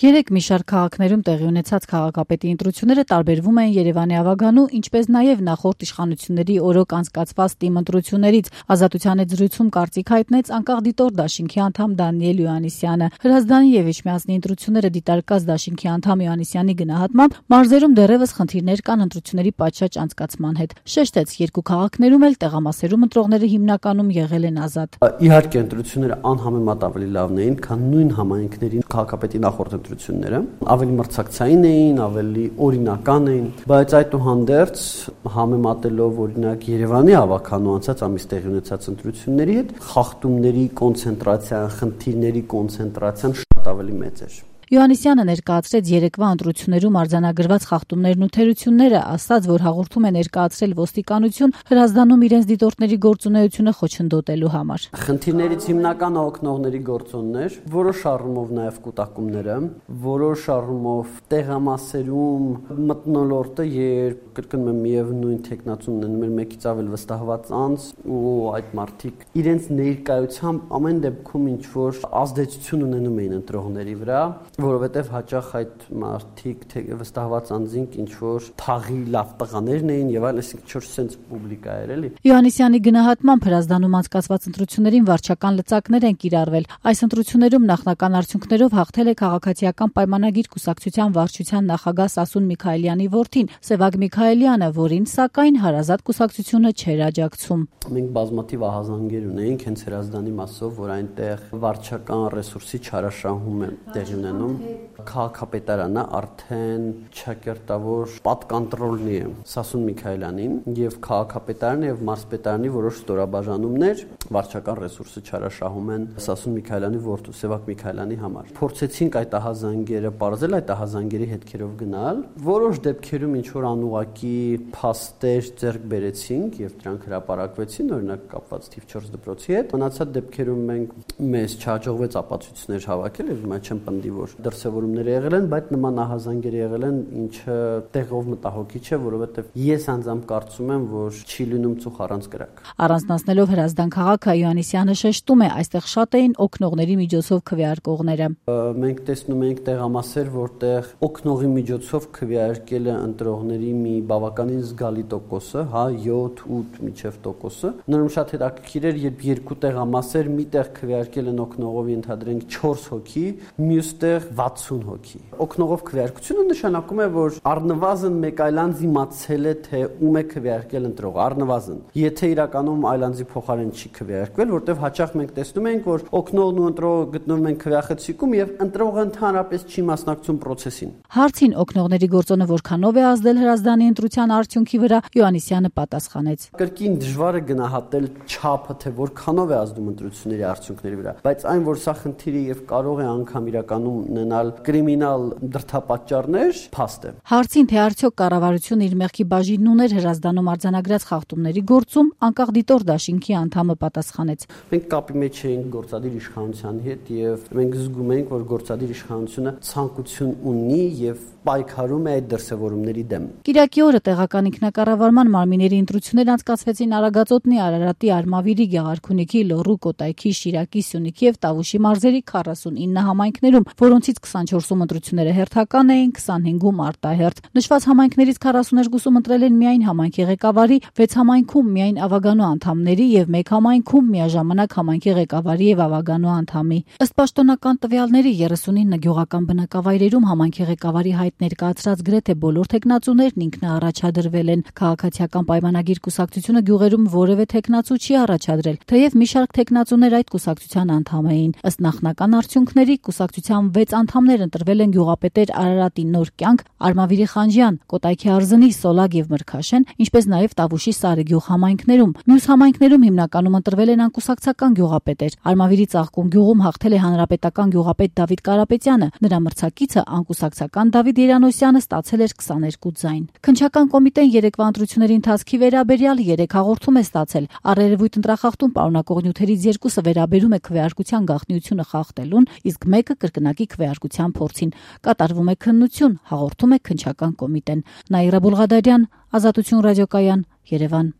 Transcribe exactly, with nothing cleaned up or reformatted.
Երեք մի շարք քաղաքներում տեղի ունեցած քաղաքապետի ընտրությունները տարբերվում են Երևանի ավագանու, ինչպես նաև նախորդ իշխանությունների օրոք անցկացված թիմ ընտրություններից։ Ազատության հետ զրույցում կարծիք հայտնեց անկախ դիտորդ դաշինքի անդամ Դանիել Յոհաննիսյանը։ Հրազդանի եւ Իջմիածնի ընտրությունները դիտարկած դաշինքի անդամ Յոհաննիսյանի գնահատմամբ մարզերում դեռևս խնդիրներ կան ընտրությունների պատշաճ անցկացման հետ։ Շեշտեց, երկու քաղաքներում էլ տեղամասերում ընտրողները հիմնականում եղել են ազատ։ Իհարկե ընտրությունները անհամեմատ ավելի լավն էին, քան նույն համայնքների քաղաքապետի նախորդ ընտրությունները, ավելի մրցակցային էին, ավելի օրինական էին, բայց այդուհանդերձ համեմատելով օրինակ Երևանի ավագանու անցած ամիս տեղի ունեցած ընտրությունների հետ, խախտումների կոնցենտրացիան, խնդիրների կոնցենտրացիան շատ ավելի մեծ էր։ Յոհաննիսյանը ներկայացրեց երեկվա ընտրություններում արձանագրված խախտումներն ու թերությունները, ասաց, որ հաղորդում է ներկայացրել ոստիկանություն Հրազդանում իրենց դիտորդների գործունեությունը խոչընդոտելու համար։ Խնդիրներից հիմնականը օգնողների գործոններ, որոշ առումով նաև կուտակումները, որոշ առումով տեղամասերում մթնոլորտը, երբ կրկնում եմ միևնույն տեխնացումն են մեր մեկից ավել վստահված անձ ու այդ մարդիկ իրենց ներկայությամբ ամեն դեպքում ինչ որ ազդեցություն ունենում էին ընտրողների վրա, որովհետև հաճախ այդ մարդիկ վստահված անձինք ինչ որ թաղի լավ տղաներն էին եւ այլ, այսինքն ինչ որ sense պուբլիկա էր էլի։ Յոհաննիսյանի գնահատմամբ Հրազդանում անցկացված ընտրություններին վարչական լծակներ են կիրառվել։ Այս ընտրություններում նախնական արդյունքներով հաղթել է քաղաքացիական պայմանագիր կուսակցության վարչության նախագահ Սասուն Միքայելյանի որդին Սևակ Միքայելյանը, որին սակայն հարազատ կուսակցությունը չէր աջակցում։ Մենք բազմաթիվ ահազանգեր ունեինք հենց Հրազդանի մասով, որ այնտեղ վարչական ռեսուրսի չարաշահում է տեղի ունենում։ Քաղաքապետարանը արդեն չակերտավոր պատկանտրոլնի է Սասուն Միքայելյանին եւ քաղաքապետարանը եւ մարզպետարանի որոշ ստորաբաժանումներ վարչական ռեսուրսը չարաշահում են Սասուն Միքայելյանի որդու Սևակ Միքայելյանի համար։ Փորձեցինք այդ ահազանգերը բարձել, այդ ահազանգերի հետքերով գնալ։ Որոշ դեպքերում ինչ որ անուղակի փաստեր ձեռք բերեցինք եւ դրանք հրապարակվեցին, օրինակ կապված թիվ չորս դպրոցի հետ։ Մնացած դեպքերում մենք մեզ չհաջողվեց ապացույցներ հավաքել եւ հիմա չեմ պնդի, որ դրսևորումներ եղել են, բայց նման ահազանգեր եղել են, ինչը տեղով մտահոգիչ է, որովհետև ես անձամբ կարծում եմ, որ չի լինում ծուխ առանց կրակ։ Առանձնացնելով Հրազդան քաղաքը Յոհաննիսյանը շեշտում է, այստեղ շատ էին օգնողների միջոցով քվեարկողները։ Մենք տեսնում ենք տեղամասեր, որտեղ օգնողի միջոցով քվեարկել է ընտրողների մի բավականին զգալի տոկոսը, հա յոթ ութ մինչև տոկոսը։ Նորմալ շատ հետաքրքիր էր, երբ երկու տեղամասեր միտեղ քվեարկել են օգնողով ընդհանրենք չորս հոգի, մյուստեղ վաթսուն հոգի։ Օգնողով քվեարկությունը նշանակում է, որ առնվազն մեկ այլ անձ իմացել է, թե ում է քվեարկել ընտրողը, առնվազն։ Եթե իրականում այլ անձի փոխարեն չի քվեարկվել, որտեղ հաճախ մենք տեսնում ենք, որ օգնողն ու ընտրողը գտնվում են քվեախցիկում եւ ընտրողը ընդհանրապես չի մասնակցում process-ին։ Հարցին օգնողների գործոնը որքանով է ազդել Հրազդանի ընտրության արդյունքի վրա, Յոհաննիսյանը պատասխանեց. Կրկին դժվար է գնահատել չափը, թե որքանով է ազդում ընտրությունների արդյունքների վրա, բայց այն, որ սա խնդիրը եւ կարող է անգամ իրականում ունենալ կրիմինալ դրդապատճառներ, փաստ է։ Հարցին, թե արդյոք կառավարությունը իր մեղքի բաժինն ուներ Հրազդանում արձանագրած խախտումների գործում, անկախ դիտորդ դաշինքի անդամը պատասխանեց. Մենք կապի մեջ էինք գործադիր իշխանության հետ եւ մենք զգում ենք, որ գործադիր իշխանությունը ցանկություն ունի եւ պայքարում է այդ դրսևորումների դեմ։ Կիրակի օրը տեղական ինքնակառավարման մարմինների ընտրություններ անցկացվեցին Արագածոտնի, Արարատի, Արմավիրի, Գեղարքունիքի, Լոռու, Կոտայքի, Շիրակի, Սյունիքի եւ Տավուշի մարզերի քառասունինը համայնքներում, որոնցից քսանչորսում ընտրությունները հերթական էին, քսանհինգում արտահերթ։ Նշված համայնքներից քառասուներկուսում ընտրել են միայն համայնքի ղեկավարի, վեց համայնքում միայն ավագանու անդամների եւ մեկ համայնքում միաժամանակ համայնքի ղեկավարի եւ ավագանու անդամի։ Ըստ պաշտոնական տվյալների երեսունինը գյուղական բնակավայրերում համայնքի ղեկավարի հայտ ներկայացրած գրեթե բոլոր տեխնացուներն ինքնաառաջադրվել են։ Քաղաքացիական պայմանագիր կուսակցությունը գյուղերում որևէ տեխնացու չի առաջադրել, թեև մի շարք տեխնացուներ այդ կուսակցության անդամ էին։ Ըստ նախնական արդյունքների կուսակցության վեց անդամներ ընտրվել են գյուղապետեր Արարատի Նոր կյանք, Արմավիրի Խանջյան, Կոտայքի Արզնի, Սոլագ եւ Մրգաշեն, ինչպես նաեւ Տավուշի Սարեգյուղ համայնքներում։ Մյուս համայնքներում հիմնականում ընտրվել են անկուսակցական գյուղապետեր։ Արմավիրի Ծաղկուն գյուղում հաղթել է հանրապետական գյուղապետ Դավիթ Կարապետյանը, նրա մրցակիցը անկուսակցական Դավիթ Երանոսյանը ստացել էր քսաներկու ձայն։ Քննչական կոմիտեն երեկվա ընտրությունների ընթացքի վերաբերյալ երեք հաղորդում է ստացել։ Առերևույթ ընտրախախտում պարունակող նյութերից երկուսը վերաբերում է քվեարկության գաղտնիությունը խախտելուն, իսկ մեկը կրկնակի քվեարկության փորձին։ Կատարվում է քննություն, հաղորդում է քննչական կոմիտեն։ Նաիրա Բուլղադարյան, Ազատություն ռադիոկայան, Երևան։